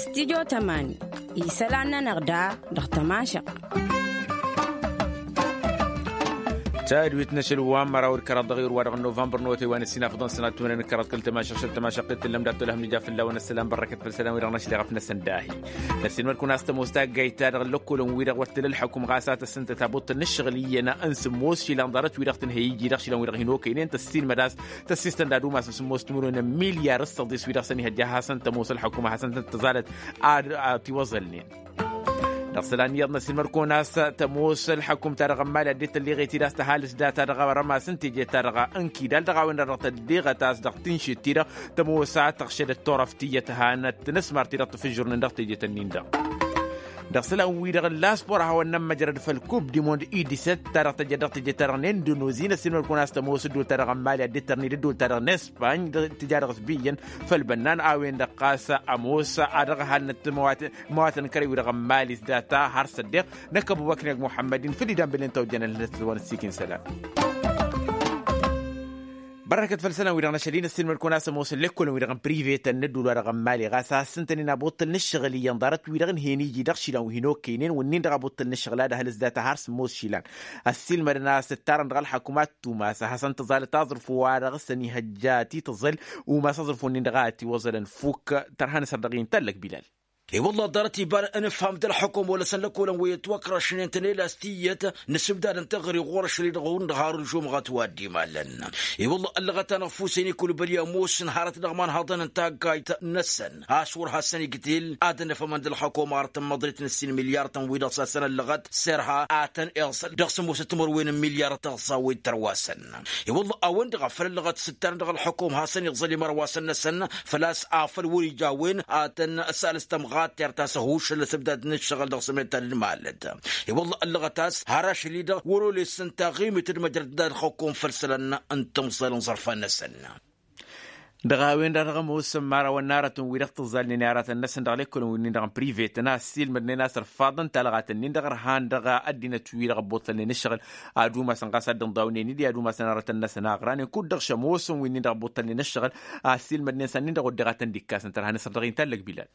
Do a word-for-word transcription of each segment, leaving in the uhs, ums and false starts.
Studyo tămani isălan-nănăɣ da dăɣ-tămašăɣt. Tadwit n-ašăl wa n-măraw d-kăraḍ dăɣ-iwr wa dăɣ-novămbăr n-otay wa n-ăssinafăḍăn sănat timănen d-kăraḍ kăl-tămašăɣ šăl tămašăɣt t-tǝllăm dat-tolăhăm n-ija fălla-wen ăssălan bărrăkăt făll-isălan wi-dăɣ n-ašli ɣăf-năsăn dahi. Năssinmăd-kăwăn a-s tămoos taggayt-ta-dăɣ n-lăkkolăn-wi-dăɣ wăr t-tǝla ălḥăkum ɣas a tăssǝntăt abuṭṭǝl n-ǝššăɣǝl iyyăn n-sǝmmos išilan ḍarăt-wi-dăɣ tǝnhăy iji dăɣ-išilan-wi-dăɣ hin-okăynen tăssinmăd a-s tăssistăn d-ad-umasăn sǝmmos timǝrwen n-milyar ǝssăḍis-wi-dăɣ săn ihăjja a hasăn-tămoos ălḥăkum a hasăn-tăn-tăẓalăt ad-tiwăẓălnen. Dăɣ-isălan iyyăḍ năssinmăd-kăwăn a-s tămoos ălḥăkum ta dăɣ-ămmali ad-dd-tălleɣet-dd a-s tăhalǝs data dăɣ-arămas n-teje-ta-dăɣ n-kidal dăɣ-a-wen-dăɣ dăɣ-tălleɣăt a-s dăɣ-tǝnšit-ti-dăɣ tămoos a tăɣšădăt turăft tiyyăt hanăt-tǝnǝsmar-ti-dăɣ tǝfǝžžurnen dăɣ-teje-tăn-in-dăɣ. Dăɣ-isălan-wi-dăɣ n-laspor a hawăn-nămmăjrăd făll-kub dimond idisăt ta dăɣ-tăjjăd dăɣ-teje-ta-dăɣ n-indonezi năssinmăd-kăwăn a-s tămoos ǝddul-ta-dăɣ n-mali ad-dd-tărni d-ǝddul-ta-dăɣ n-espany tǝja dăɣ-s biyyăn făll-bănnan a-wen-dăɣ ɣas ămoos a dăɣ-ăhalnăt măwatăn kăre-wi-dăɣ n-mali s-data har s-ăddeɣ năkk ăbubăkneg muḥămmăd-in făll-idan băllen ta ojjănăn lătăt wa n-ăssiik n-isălan. Bărrăkăt făll-isălan-wi-dăɣ n-ašăl-i năssiilmăd-kăwăn a-s ămoosăn lekkolăn-wi-dăɣ n-privetăn n-ădduul-wa-dăɣ n-mali ɣas a ăssintăn-in abuṭṭǝl n-ǝššăɣǝl iyyăn ḍarăt-wi-dăɣ ǝnhăyăn iji dăɣ-išilan wi hin-okăynen wǝnnin-dăɣ abuṭṭǝl n-ǝššăɣǝl ad-ăhăl s-data har sǝmmos išilan. Ăssiilmădăn a-s ǝttarăn dăɣ-ălḥăkum ad-tumas a hasăn-tăẓalăt aẓrǝfu wa dăɣ-săn ihăjja tităẓăl umas aẓrǝfu-nin-dăɣ a ătiwăẓălăn fukk. Tărha n-asăr dăɣ-i n-tallăk bilal. I-wălla ḍarăt iba n-ǝfham d-ălxukum wăla-săn lăkkolăn wi ătwăkrăšnen tănelast tiyyăt n-asǝbdad n-teɣări ɣur-ašăl-i-dăɣ hundăɣ har ǝlžumɣăt wa dd-imalăn. I-wălla ăllăɣăt-anăɣ fusăyni kulbăl i-ămoos n-hărăt dăɣ-iman haḍăn n-taggayt-năsăn a-s wăr hasăn-igdil ad-ănăfhămăn d-ălxukum arăt n-măḍrit n-ǝssin milyar-tăn-wi-dăɣ s-hasăn-ăllăɣăt serha a tăn-iẓăl dăɣ-sămoosăt timărwen n-milyar tăɣsa wi d-tărwasăn. I-wălla a-wen-dăɣ a făl ăllăɣăt s-ǝttarăn dăɣ-ălxukum hasăn-iẓăl imărwasăn-năsăn făl-a-s afăl wăr-ija a-wen ad-tăn-sălăs tămɣattert a-s ăhuššăl asǝbdad n-ǝššăɣǝl dăɣ-sămedta d-malăt. I-wălla ăllăɣăt a-s har ašăl-i-dăɣ wăr-olesăn taɣimit d-măjrăd d-ad-xăkkom făll-isălan n-timẓal n-iẓărfan-năsăn. Dăɣ-a-wen-dăɣ dăɣ-ămoosăn imărawăn n-aratăn-wi-dăɣ tǝẓẓalnen i-aratăn-năsăn dăɣ-lăkkolăn wi-nin-dăɣ n-privetăn a ăssiilmădnen a-s ărfaḍăn talɣat-nin-dăɣ ărhan dăɣ-ăddinăt-wi-dăɣ ăbbuṭṭălnen ǝššăɣǝl ad-umasăn ɣas ad-dd-ǝnḍawnen-dd i-ad-umasăn aratăn-năsăn a ăɣranen kud-dăɣ šămoosăn wi-nin-dăɣ ăbbuṭṭălnen ǝššăɣǝl a ăssiilmădnen s-ad-nin-dăɣ wădden ad-tăn-dd-ikkasăn tărha n-asăr dăɣ-i n-tallăk bilal.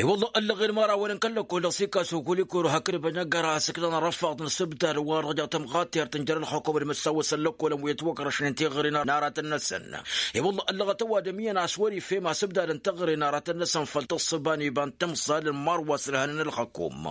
I-wălla ăllăɣen imărawăn n-kăl-lăkkol dăɣ-s ikkas okol-i kăru hakd ăbănăggar a ăsǝknăn ărăffaḍ n-asǝbdad wa dăɣ-jaw tămɣattert n-jer-ălxukum d-imǝssawăsăn lăkkolăn wi ătwăkrăšnen tiɣri n-aratăn-năsăn. I-wălla ăllăɣăt ăwadǝm iyyăn a-s wăr-ifhem asǝbdad n-tiɣri n-aratăn-năsăn făll-tǝssǝba n-iba n-timẓal n-imărwa s-ǝlhănăn ălxăkum.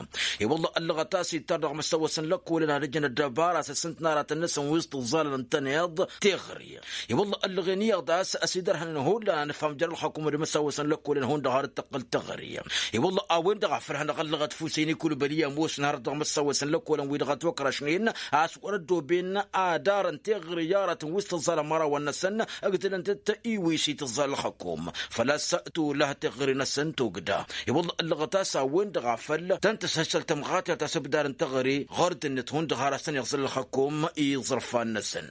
I-wălla ăllăɣăt a-s ittar dăɣ-imǝssawăsăn lăkkolăn ad-ǝjǝn ăddăbara a-s ǝssǝntăn aratăn-năsăn wi s-tǝẓẓalăn ǝntăneḍ tiɣri. I-wălla ăllăɣen iyyăḍ a-s ăsidărhănăn hullan ad-nǝfhăm jer-ălxukum d-imǝssawăsăn lăkkolăn hundăɣ har dd-tăqqǝl tiɣri. I-wălla a-wen-dăɣ a făl hanăɣ-ăllăɣăt fusăyni kulbăl i-ămoosăn hărăt dăɣ-imǝssawăsăn lăkkolăn wi dăɣ-ătwăkrăšnen a-s wăr-ăddoben ad-arăn tiɣri i-aratăn wi s-tǝẓẓalăn imărawăn-năsăn ǝgdǝlăn-tăt iwis i-tǝẓẓal ălxăkom făl-a-s tolăh tiɣri-năsăn togda. I-wălla ăllăɣăt a-s a-wen-dăɣ a făl tăn-tǝshăššăl tămɣatert asǝbdar n-tiɣri ɣur-dd-net hundăɣ har a-s tăn-iẓǝl ălxăkom i-iẓărfan-năsăn.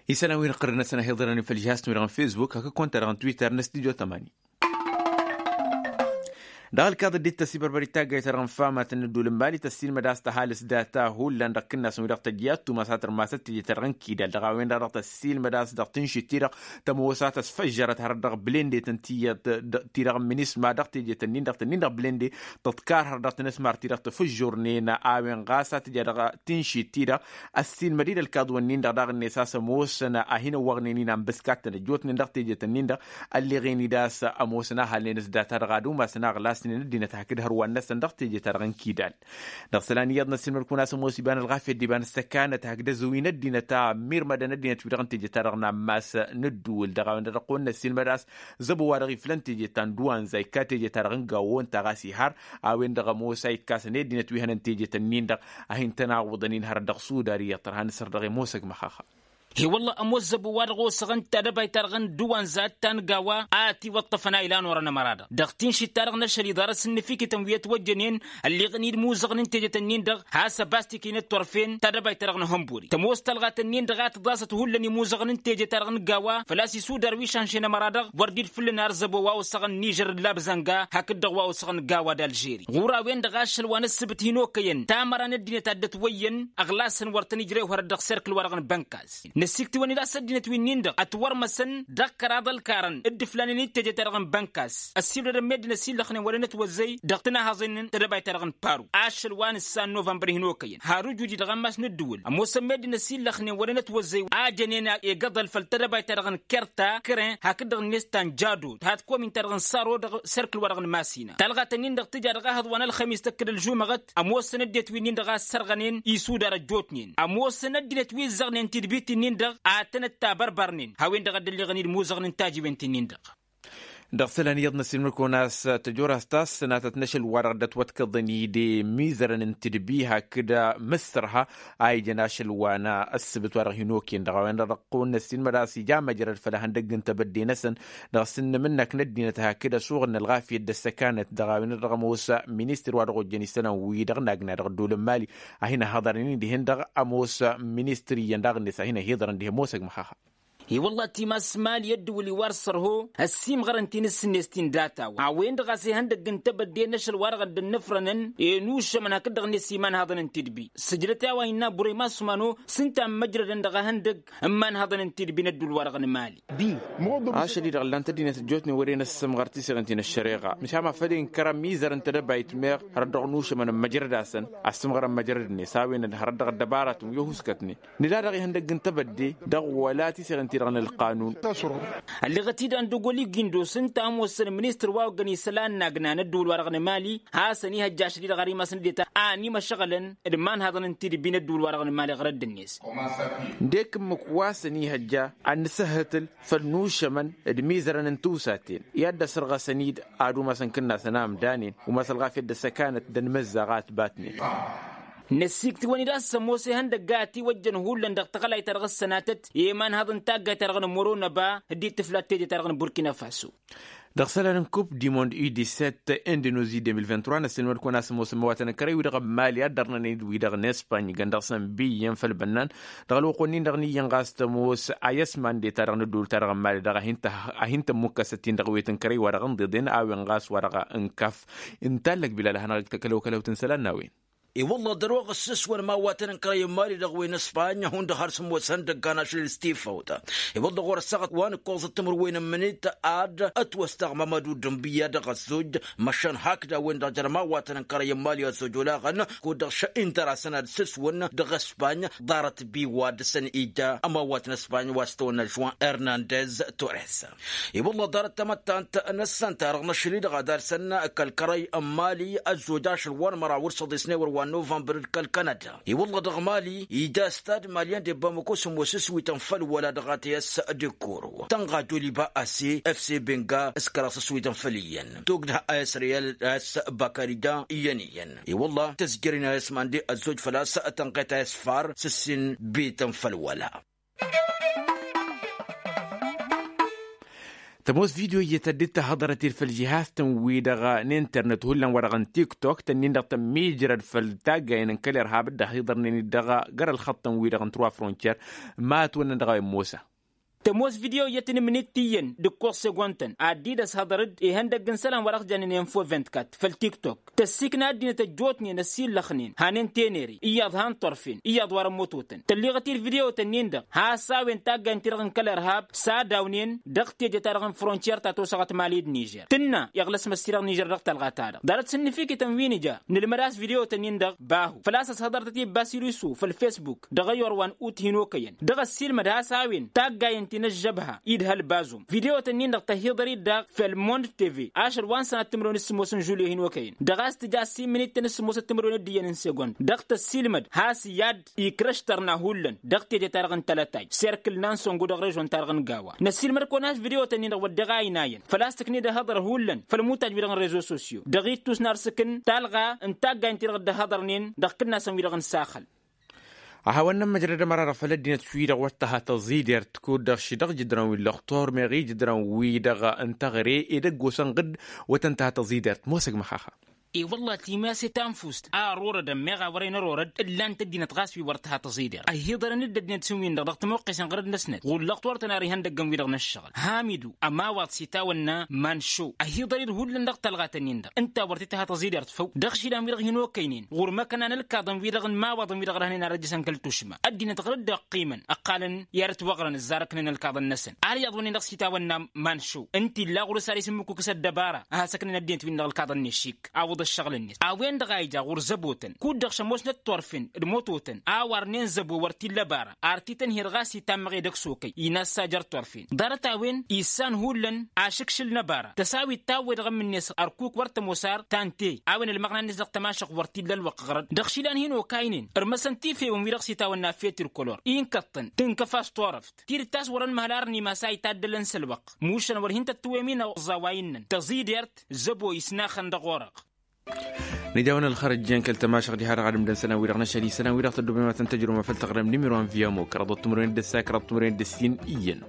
Isălan wi n-iqqărăn-năsăn a hi-iḍărăn făll-žihaz-tăn wi-dăɣ n-fesbuk hakd konta-dăɣ n-twitter n-studyo tămani. Dăɣ-ălkaḍ dd-tăsibărbărit taggayt-ta-dăɣ n-famatăn n-ădduul n-mali tăssiilmăd a-s tăhalǝs data hullan dăɣ-ikǝnnasăn wi dăɣ-tăjja tumas a tărmasăt teje-ta-dăɣ n-kidal dăɣ-a-wen-dăɣ dăɣ-tăssiilmăd a-s dăɣ-tǝnšit-ti-dăɣ tămoos a tăsfăžžărăt hărăt dăɣ-blende tăn-tiyyăt ti-dăɣ n-minisma dăɣ-teje-tăn-in-dăɣ tăn-in-dăɣ blende tăḍkar hărăt dăɣ-tinǝsmar-ti-dăɣ tafǝžžurnen a-wen ɣas a tǝja dăɣ-tǝnšit-ti-dăɣ. Ăssiilmăd-dd ălkaḍ-wǝnnin-dăɣ daɣ-net a-s ămoosăn a hin-ăwwăɣnen-in anbǝskat tăn-ăjjootnen dăɣ-teje-tăn-in-dăɣ ălleɣen-dd a-s ămoosăn a halnen s-data-dăɣ ad-umasăn a ăɣlasnen ăddinăt hakd hărwan-năsăn dăɣ-teje-ta-dăɣ n-kidal. Dăɣ-isălan iyyăḍ n-ăssiilmăd-kăwăn a-s ămoos iba n-ălɣafyăt d-iba n-ăssăkanăt hakd ăzǝwin ăddinăt a ămmirmădăn ăddinăt-wi-dăɣ n-teje-ta-dăɣ n-ammas n-ǝddǝwǝl dăɣ-a-wen-dăɣ dăɣ-kăwăn-năssiilmăd a-s zăbo wa dăɣ-iflăn teje ta n-duwanza ikka teje-ta-dăɣ n-gawwo ǝnta ɣas ihar a-wen-dăɣ ămoos a ikkasăn i-ăddinăt wi hănăn teje-tăn-in-dăɣ a hin-tăn-awǝḍăn-in hărăt dăɣ-sudar iyyăḍ tărha n-asăr dăɣ-i ămoosăg măxaxa. He-wălla ămoos zăbo wa dăɣ-osăɣăn tadăbayt-ta-dăɣ n-duwanza ta n-gawa a ătiwăṭṭăfăn a ilan orăn ămăra-dăɣ dăɣ-tinšit-ta-dăɣ n-ašăl-i ḍarăt s-ǝnnǝfikǝtăn wi ătwăjjănen ălleɣăn-dd imuzăɣăn n-teje-tăn-in-dăɣ has-ăbas tikǝy n-ăttorfen tadăbayt-ta-dăɣ n-ehănburi tămoos talɣat-ǝnnin-dăɣ a tǝḍasăt hullan imuzăɣăn n-teje-ta-dăɣ n-gawa făl-a-s isudar wi šanšen ămăra-dăɣ wăr dd-fǝllǝn ar zăbo wa osăɣăn n-ižăr d-labzănga hakd-dăɣ wa osăɣăn n-gawa d-alžeri ɣur-a-wen-dăɣ ašăl wa n-ǝssǝbǝt hin-okăyăn tamăra n-ăddinăt a dd-ătwăyyăn ăɣlasăn wăr tăn-ijrew hărăt dăɣ-serkǝl-wa-dăɣ n-bănkas. Ăssiktǝwăn-dd a-s ăddinăt wi-nin-dăɣ ătwărmăsăn dăɣ-kăraḍ ălkarăn d-iflanen d-teje-ta-dăɣ n-bănkas. Ăssiwdădăn meddǝn ăsillăxnen wăren ătwăzzăy dăɣ-tǝnahăẓen n-tedăbayt-ta-dăɣ n-paru. Ašăl wa n-ǝssan novămbăr hin-okăyăn har ǝjudi dăɣ-ammas n-ǝddǝwǝl ămoosăn meddǝn ăsillăxnen wăren ătwăzzăy a jănen egăḍăl făll-tedăbayt-ta-dăɣ n-kerta kăren hakd-dăɣ-net ta n-jado tăhat komin-ta-dăɣ n-saro dăɣ-serkǝl-wa-dăɣ n-masina talɣat-ǝnnin-dăɣ tǝja dăɣ-ahăḍ wa n-ălxămis tăkkǝd ălžumăɣăt. Ămoosăn ăddinăt wi-nin-dăɣ a ăssărɣănen isudar ăjjootnen ămoosăn ăddinăt wi ǝzzăɣnen tidbit-nin-dăɣ ad-tăn-ăttabărbărnen. Hawăn-dăɣ a dd-ălliɣăn-dd imuzăɣnen tajiwen-ti-nin-dăɣ. Dăɣ-isălan iyyăḍ n-ăssiilmăd-kăwăn a-s tăjorăst a-s sănatăt n-ašăl-wa-dăɣ dd-ătwătkăḍăn-dd imizărăn n-tidbi hakd mǝssărha a ijăn ašăl wa n-ăssǝbǝt-wa-dăɣ hin-okăyăn dăɣ-a-wen-dăɣ dăɣ-kăwăn-năssiilmăd a-s ija măjrăd făll-ehăndăgg n-tebădde-năsăn. Dăɣ-s ǝnnǝm-năk n-ăddinăt hakd ăsuɣǝl n-ălɣafyăt d-ăssăkanăt dăɣ-a-wen-dăɣ ămoos ministăr wa dăɣ-ojjăn isălan-wi-dăɣ n-agna dăɣ-ăddoolăn mali a hin-ăhhăḍărnen dihen-dăɣ ămoos ministăr iyyăn daɣ-net a hin-ăhiḍărăn dihen mosăg măxaxa. I-wălla timas mali ăddǝwǝl-i wa dăr-sărho ăssiimɣărăn tinǝssǝnnes-tin data-wa a-wen-dăɣ a-s ihăndăgg n-tebădde n-ašăl-wa-dăɣ dd-ănnăfrănăn enušămăn hakd-dăɣ-net imanhaḍăn n-tidbi sǝjdăt i-a-wa innă burăy masumano s-ǝnta n-măjrădăn dăɣ-ehăndăgg n-imanhaḍăn n-tidbi n-ădduul-wa-dăɣ n-mali. Ašăl-i-dăɣ ǝllan-t ăddinăt ăjjootnen wăren ăssǝmɣăr tiseɣen ti n-ăššăreɣa măšan ma făl inkăr ămizăr n-tedăbayt meɣ hărăt dăɣ-nušămăn n-măjrăd-asăn. Ăssǝmɣăr n-măjrăd-net a-wen-dăɣ hărăt dăɣ-ăddăbarătăn wi ăhuskătnen nǝla dăɣ-ihăndăgg n-tebădde dăɣ-wăla tiseɣen-ti-dăɣ n-ălqanun. Ălleɣăt-dd andăgg wăl-igindos ǝnta a ămoosăn ministăr wa oggăn isălan n-agna n-ăddǝwǝl-wa-dăɣ n-emali hasăn-ihăjja ašăl-i-dăɣ har imass n-ăddinăt a ănimăšăɣălăn d-imanhaḍăn n-tidǝbbi n-ăddǝwǝl-wa-dăɣ n-emali ɣărădd-net. Ǝndek ǝmmǝk wa săn-ihăjja ad-nǝsǝhhǝtǝl făll-nušămăn d-imizărăn n-tiwsaten i-ad-dd-ăsărɣăsăn-dd ad-umasăn kǝnnasăn a ǝmdanen umas ălɣafyăt d-ăssăkanăt d-ănmăzzaɣ a ătbatnen. Năssiiktǝwăn-dd a-s ămoos ihăndăgg a ătiwăjjăn hullan dăɣ-tăɣlayt-ta-dăɣ ăssănatăt i-imanhăḍ n-taggayt-ta-dăɣ n-morona ba dd-ittǝflat teje-ta-dăɣ n-burkina faso. Dăɣ-isălan n-kup dimond i-disset indonesie deux mille vingt-trois n-ăssinămăd-kăwăn a-s ămoosăn imăwatăn n-kărăy-wi-dăɣ n-mali a dd-ărnănen d-wi-dăɣ n-espany ijăn dăɣ-săn bi iyyăn făll-bănnan. Dăɣ-ălwăqq-wen-in-dăɣ n-iyyăn ɣas tămoos a i-ăsmande-ta-dăɣ n-ădduul-ta-dăɣ n-mali-dăɣ a hin-tămmukkas ăttin dăɣ-ewet n-kărăy wa dăɣ-ănḍeḍen a-wen ɣas wa dăɣ-ǝnkaf. Ǝnta allăg bilal a hanăɣ-ǝgg takălăwkălăwt n-isălan n-a-wen. I-wălla dăr-oɣ ǝssǝswăn imawatăn n-kărăy n-mali dăɣ-wen ăspan hundăɣ har s-ămoosăn dăgg-anăšlǝl s-tifawt. I-wălla ɣur-ăssaɣăt wa n-ǝkkoẓăt timǝrwen n-imǝnit ad-ătwăstăɣ mămădu d-ǝnbǝyya dăɣ-ăzzoj măšan hakd a-wen-dăɣ jer-imawatăn n-kărăy n-mali ăzzoj olaɣăn kud-dăɣ šă'in dăr-asăn ad-sǝswăn dăɣ-ăspan ḍarăt bi wa dăr-săn ija ămawat n-ăspan wa s-tăwănna žuan hernandez tores. I-wălla ḍarăt tamăttant n-ăssăn-ta-dăɣ n-ašăl-i-dăɣ ad-arsăn kăl-kărăy n-mali ăzzoj ašăl wa n-măraw d-săḍisnewăr wa n-novămbăr d-kăl-kanada. I-wălla dăɣ-mali ija stad malyan de bamako s-ămoos s-wităn făll-wăla dăɣ-a tăyăs d-ikkuru tănɣa doliba ase fc benga s-kăraḍ s-wităn făll-iyyăn togdăh a s-riyal a s-bakarija iyyăn-iyyăn. I-wălla tăzjăr-in a s-mande ăzzoj făl-a-s tănɣet a s-far s-ǝssin bităn făll-wăla. Tămoos video iyyăt dd-tahăḍărăt-dd făll-žihaz-tăn-wi-dăɣ n-internet hullan wa dăɣ-n tiktok tănnin-dăɣ tămmijrăd făll-taggayen n-kăl-irhab dd-ăhiḍărnen-dd dăɣ-găr ălxăṭṭăn-wi-dăɣ n-truwa frontier. Ma ătwănnăn dăɣ-a-wen mosa. Tămoos video iyyăt n-imǝnit tiyyăn d-ǝkkoẓ segontăn ad-dd-ăshăḍăr-dd ihăndăgg n-isălan wa dăɣ-s jannen info vint-kat făll-tiktok tăssikna ăddinăt ăjjootnen ăsillăxnen hanen tenere iyyăḍ han torfen iyyăḍ wa rămmototăn tălliɣăt-dd video-tăn-in-dăɣ has-a-wen taggayen-ti-dăɣ n-kăl-irhab s-ad-awnen dăɣ-teje-ta-dăɣ n-frontiyer ta tosăɣăt mali d-nižer tǝnna iɣlăs măssi-dăɣ nižer dăɣ-talɣa-ta-dăɣ ḍarăt s-ǝnnǝfikităn wi nǝja nǝlmăd a-s video-tăn-in-dăɣ bahu făl-a-s ăshăḍărtăt i-basirisu făll-fesbuk dăɣ-ăyor wa n-ut hin-okăyăn dăɣ-ăssiilmăd has-a-wen taggayen ti n-ăžžăbha idhăl bazum video-tăn-in-dăɣ tăhiḍăr-dd daɣ făll-mond tv ašăl wa n-sănat timǝrwen s-sǝmmos n-žulyo hin-okăyăn dăɣ-a-s tǝja ăssiin mǝnit tăn-sǝmmosăt timǝrwen d-iyyăn n-segond dăɣ-tăssiilmăd has-i ad-ikrăš tărna hullan dăɣ-teje-ta-dăɣ n-tălătaj serkǝl n-ansăngu dăɣ-režon-ta-dăɣ n-gawa. Năssiilmăd-kăwăn a-s video-tăn-in-dăɣ wădden a ăynayăn făl-a-s tǝkned ehăḍăr hullan făll-imutaj-wi-dăɣ n-rezo sosyo dăɣ-ittus n-arsǝkǝn talɣa n-taggayen-ti-dăɣ dd-ăhhăḍărnen dăɣ-kǝnnasăn-wi-dăɣ n-saxăl. A hawăn-nămmăjrăd ămăra-dăɣ făll-ăddinăt wi-dăɣ wăr tăha tăẓidert kud-dăɣ šidăɣ jǝdrăn wi n-lăxtor meɣ ijǝdrăn wi-dăɣ n-teɣăre edăgg osăn ɣǝd wătăn tăha tăẓidert mosăg măxaxa. I-wălla timas i-tanfust a ărorădăn meɣ a wărăn ărorăd ǝllan-t ăddinăt ɣas wi wăr t-ha tăẓider ăhiḍărăn-dd ăddinăt s-in-win-dăɣ dăɣ-tămoqqesen ɣărăd-năsnăt ɣur-lăɣ turătăn ar ihăndăggăn wi-dăɣ n-ăššăɣǝl hamidu ămawaḍ s-itawănna manšo ăhiḍăr-dd hullan dăɣ-talɣat-nin-dăɣ ǝnta wăr t-tǝha tăẓidert făw dăɣ-išilan wi-dăɣ hin-okăynen ɣur-imăkăna n-ălkaḍăn wi-dăɣ n-imawaḍăn wi-dăɣ răhnen ar ăjjăsăn kăl-tušma ăddinăt ɣur-dd-ăqqimăn ăqqalăn i-ad-ătwăɣrăn ǝzzarăknen ălkaḍăn-năsăn ar iyyăḍ wănnen dăɣ-s itawănna manšo ǝnta illa ɣur-s ar isǝmmǝkukǝs ăddăbara a hasăknen ăddinăt-win-dăɣ ălkaḍăn n-ešik awǝḍ ăššăɣǝl-net a-wen-dăɣ a ija ɣur-zăbotăn kud-dăɣ šămoosnăt turfen d-mototăn a warnen zăbo wăr t-illa bara ar t-tănher ɣas itammăɣ edăgg s-okăy inassa jer-turfen ḍarăt a-wen issan hullan ašǝkšǝl n-ăbara tăsawit ta ăwwed dăɣ-ămmǝnnes ărkuk wăr tămoos ar tante a-wen ălmăɣna-net dăɣ-tămašăɣt wăr t-illa ălwăqq ɣărăn dăɣ-išilan hin-okaynen ărmăsăn tifewăn wi-dăɣ s-itawănna fetir kolor inkăṭṭăn tǝnkăf a-s turăft tidǝt ta s-wărăn măhăl arăn imas a itaddălăn s-ălwăqq mušăn wăr hin-tăt-tǝwwem-in ăẓẓawa innăn tăẓidert zăbo isnaxăn dăɣ-orăɣ. Nǝja a-wen ălxărăt jen kăl-tămašăɣt diha-dăɣ ad-ǝmdăn isălan-wi-dăɣ n-ašăl isălan-wi-dăɣ tăddobem ad-tăn-tăjrǝwăm făll-taɣrem n-imǝrwan via mokra ḍăt timǝrwen d-ǝssa kăraḍ timǝrwen d-ǝssin iyyăn.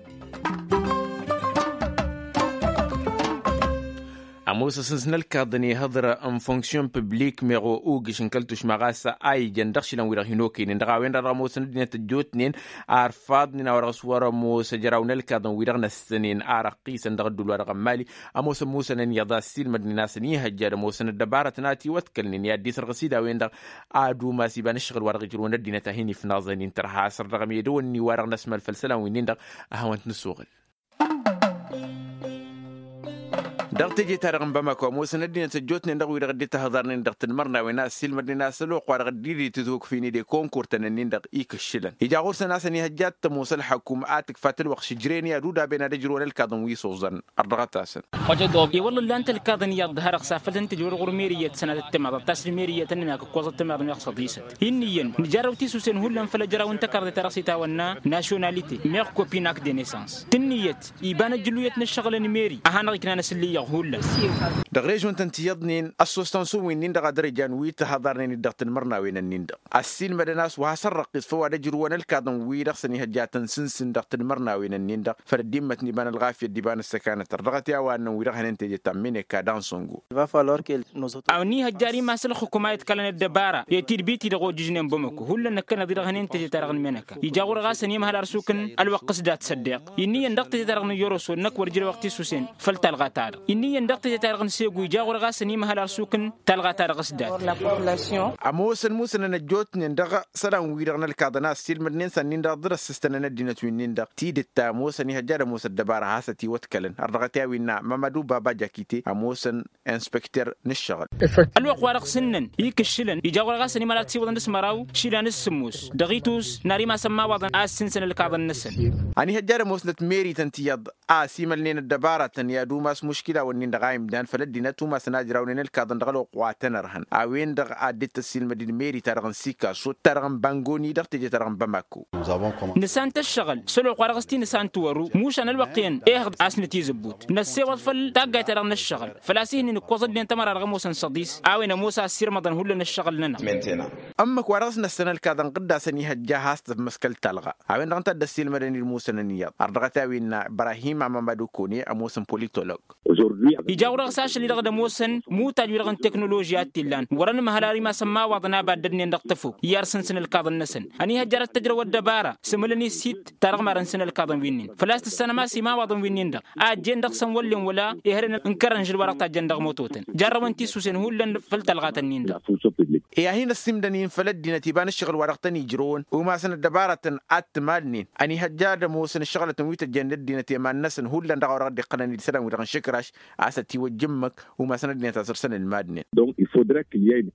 Ămoos asǝns n-ălkaḍăn ihăḍră n-funksyon piblik meɣ ogǝš n-kăl-tušma ɣas a ijăn dăɣ-išilan-wi-dăɣ hin-okăynen dăɣ-a-wen-dăɣ dăɣ-ămoosăn ăddinăt ăjjootnen arfaḍnen a-wa dăɣ-s wăr-ămoos ăjraw n-ălkaḍăn-wi-dăɣ n-ăssănen a răqqisăn dăɣ-ăddul-wa-dăɣ n-mali. Ămoosăn musănăn iyyăḍ a ăssiilmădnen a-s ăniihăjja ad-ămoosăn ăddăbarătăn a tiwătkălnen i-ad-dd-isărɣǝs-dd a-wen-dăɣ ad-umas iba n-ǝššăɣǝl-wa-dăɣ ǝjrǝwăn ăddinăt a hin-ifnaẓăn-in tărha a-s ărdăɣăm i-dăwănni-wa-dăɣ n-ăsmălfăl isălan-winnin-dăɣ. A hawăn-t-nǝsuɣǝl. Dăɣ-teje-ta-dăɣ n-bamako ămoosăn ăddinăt ăjjootnen dăɣ-wi-dăɣ dd-ităhăḍarnen dăɣ-tǝnmărnawen a ăssiilmădnen a-s ălwăqq-wa-dăɣ dd-dd-itǝzhukfin-dd i-konkurtăn-nin-dăɣ ikǝššǝlăn ija ɣur-săn a-s ăniihăjja ad-tămoos ălxăkum a tǝkfa tǝlwăqq šǝjren i-ad-udaben ad-ăjrǝwăn ălkaḍăn wi s-oẓăn. Ărdăɣăt-asăn. I-wălla ǝllan-t ălkaḍăn iyyăḍ dăr-ha-dăɣ s-afăl tăn-tǝjrǝwăn ɣur-meriyyăt sănatăt timaḍăt ta s-meriyyăt ănnănak ǝkkoẓăt timaḍ meɣ săḍisăt. Inn'-iyyăn nǝjarrăw tisusǝn hullan făll-ăjraw n-takărḍe-ta-dăɣ s-itawănna našonalite meɣ kopinak de nesans. Tǝnnǝyăt iba n-ăjjǝluyăt n-ǝššăɣǝl n-meri a hanăɣ-iknan asǝllǝyyăɣ hullan. Dăɣ-režon-tăn tiyyăḍnen ăssostansu-wi-nin-dăɣ ad-dăr-ijan wi t-ăhăḍarnen-dd dăɣ-tinmărnawen-nin-dăɣ ăssiilmădăn a-s wa hasăn-răqqis făw ad-ăjrǝwăn ălkaḍăn-wi-dăɣ s-ănihăjja ad-tăn-sǝnsǝn dăɣ-tinmărnawen-nin-dăɣ făll-ăddimmăt n-iba n-ălɣafyăt d-iba n-ăssăkanăt ărdăɣăt i-a-wa ănnăn wi-dăɣ hănen teje ta n-mineka dansongo. A-wa n-ihăjja ar imas ălxǝkum a iḍkălăn ăddăbara i-tidbit-i-dăɣ ojǝžnen bamăko hullan năkkăneḍ-i-dăɣ hănen teje-ta-dăɣ n-mineka ija ɣur-ɣas ănimhăl arsuk n-ălwăqq s-dat săddeq. Inn'-iyyăn dăɣ-teje-ta-dăɣ n-iyyăroso năkk wăr ǝjrewăɣ tisusen făll-talɣa-ta-dăɣ. Inn'-iyyăn dăɣ-teje-ta-dăɣ n-segu ija ɣur-ɣas ănimhăl arsuk n-talɣa-ta-dăɣ s-dat. Ămoosăn musănăn ăjjootnen dăɣ-isălan-wi-dăɣ n-ălkaḍăn a ăssiilmădnen s-ad-nin-dăɣ dd-răssǝstănăn ăddinăt wi-nin-dăɣ tidǝt ta ămoosăn ihăjja ad-ămoos ăddăbara a hasăt-iwătkălăn ărdăɣăt i-a-wi innă mamădu baba jakite ămoosăn inspekter n-ǝššăɣǝl. Ălwăqq-wa-dăɣ s-ǝnnăn ikǝššǝlăn ija ɣur-ɣas ănimăla ad-siwăḍăn d-s-măraw išilan s-sǝmmos dăɣ-itus n-ar imas ămmawaḍăn a ăssinsăn ălkaḍăn-năsăn. Ăniihăjja ad-ămoosnăt meri-tăn tiyyăḍ a ăsimălnen ăddăbaratăn i-ad-umas muškila-wǝnnin-dăɣ a imdan făll-ăddinăt umasăn a ǝjrawnen ălkaḍăn dăɣ-ălwăqq wa tăn-ărhăn a-wen-dăɣ a dd-tăssilmăd-dd meri-ta-dăɣ n-sikaso ta dăɣ-n bangoni dăɣ-teje-ta-dăɣ n-bamako. Nǝsant ăššăɣǝl s-ălwăqq-wa-dăɣ s-ti nǝsant wăru mušan ălwăqq-en ehăḍ a-s nǝtizǝbbut năssewăḍ făll-taggayt-ta-dăɣ n-ăššăɣǝl făl-a-s ihǝnnin ǝkkoẓ ăddinăt ămăra dăɣ-ămoosăn săḍis a-wen ămoos a ăssirmăḍăn hullan ăššăɣǝl-nănăɣ. Ǝmmǝk-wa-dăɣ s-năssăn ălkaḍăn ɣǝdda a-s ăniihăjja a has-tămmăskăl talɣa a-wen-dăɣ ǝnta a dd-ăssiilmădăn-dd musănăn iyyăḍ ărdăɣăt i-a-wen innă ibrahim amămădu kone ămoosăn politolog. Ija ɣur-dăɣ s-ašăl-i-dăɣ d-ămoosăn mutaj-wi-dăɣ n-teknoloži a t-illan wăr-ănmăhăl ar imas ămmawaḍăn a baddădnen dăɣ-tăfok i-arsǝnsǝn ălkaḍăn-năsăn. Ăniihăjja ad-tăjrăw ăddăbara s-ǝmǝlăn-i s-hidd ta dăɣ-marăn-săn ălkaḍăn wi-nin făl-a-s tǝssanăm a-s imawaḍăn wi-nin-dăɣ a ăjjeen dăɣ-săn wăllen wăla ehălăn n-kărănžǝl wa dăɣ-tajjăn dăɣ-mototăn jarrăwăn tisusen hullan făll-talɣatăn-nin-dăɣ. I-ad-hin-ăssimdăn-in făll-ăddinăt iba n-ǝššăɣǝl wa dăɣ-tăn-ijrăwăn umasăn ăddăbarătăn ad-t-malnen ăniihăjja ad-ămoosăn ǝššăɣǝlătăn wi tăjjăn ăddinăt i-iman-năsăn hullan dăɣ-a-wa dăɣ-dd-iqqălăn-dd isălan-wi-dăɣ n-išǝkraš a-s ătiwăjja ǝmmǝk umasăn ăddinăt a săr-săn ǝlmadnen.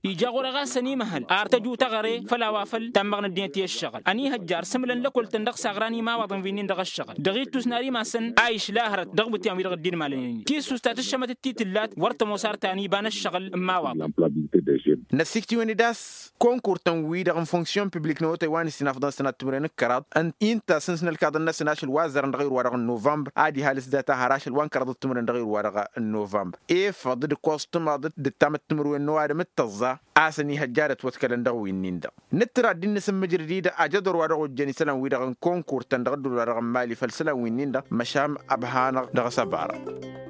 Ija ɣur-e ɣas ănimăhăl ar tăju taɣăre făll-a-wa făl tammăɣ n-ăddinăt i-ǝššăɣǝl ăniihăjja ar s-ǝmǝlăn lăkol-tăn dăɣ-s aɣran imawaḍăn wi-nin dăɣ-ǝššăɣǝl dăɣ-ittus n-ar imas-ănn a išla hărăt dăɣ-iwǝtyan wi-dăɣ dd-inmalănen tisust ta tǝššămăt d-ti tǝllat wăr tămoos ar ta n-iba n-ǝššăɣǝl n-imawaḍăn. Năssiktǝwăn-dd a-s konkur-tăn-wi-dăɣ n-funksyon piblik n-awătay wa n-ǝssin afḍăn sănat timǝrwen d-kăraḍ ǝnta a sǝnsǝn ălkaḍăn-năsăn ašăl wa ăzzărăn dăɣ-irwa-dăɣ n-novămbăr ad-ihal s-data har ašăl wa n-kăraḍăt timǝrwen dăɣ-irwa-dăɣ n-novămbăr. Efăḍ d-ǝkkoẓ timaḍăt d-ǝttamăt timǝrwen n-ăwadǝm d-tăẓẓa a-s ăniihăjja ad-ătwătkălăn dăɣ-wi-nin-dăɣ. Nǝttǝr ad-dd-nǝsǝmmǝjrǝd-dd ajăḍor wa dăɣ-ojjăn isălan-wi-dăɣ n-konkur-tăn dăɣ-ădduul wa dăɣ-n mali făll-isălan-wi-nin-dăɣ măšan ăbhanăɣ dăɣ-s ăbarăɣ.